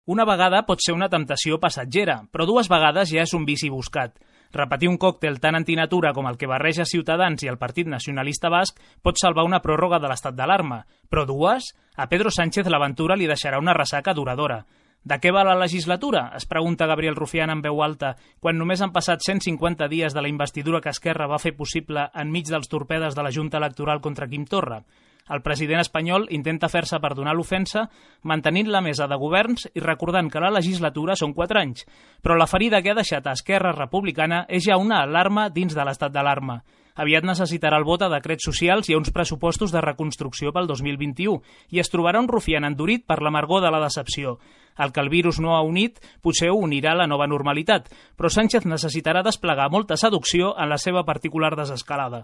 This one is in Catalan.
Una vegada pot ser una temptació passatgera, però 2 vegades ja és un vici buscat. Repetir un còctel tan antinatura com el que barreja Ciutadans i el Partit Nacionalista Basc pot salvar una pròrroga de l'estat d'alarma, però 2? A Pedro Sánchez l'aventura li deixarà una ressaca duradora. De què va la legislatura? Es pregunta Gabriel Rufián en veu alta, quan només han passat 150 dies de la investidura que Esquerra va fer possible enmig dels torpedes de la Junta Electoral contra Quim Torra. El president espanyol intenta fer-se perdonar l'ofensa mantenint la mesa de governs i recordant que la legislatura són 4 anys, però la ferida que ha deixat a Esquerra Republicana és ja una alarma dins de l'estat d'alarma. Aviat necessitarà el vot a decrets socials i a uns pressupostos de reconstrucció pel 2021 i es trobarà un Rufián endurit per l'amargor de la decepció. El que el virus no ha unit potser ho unirà a la nova normalitat, però Sánchez necessitarà desplegar molta seducció en la seva particular desescalada.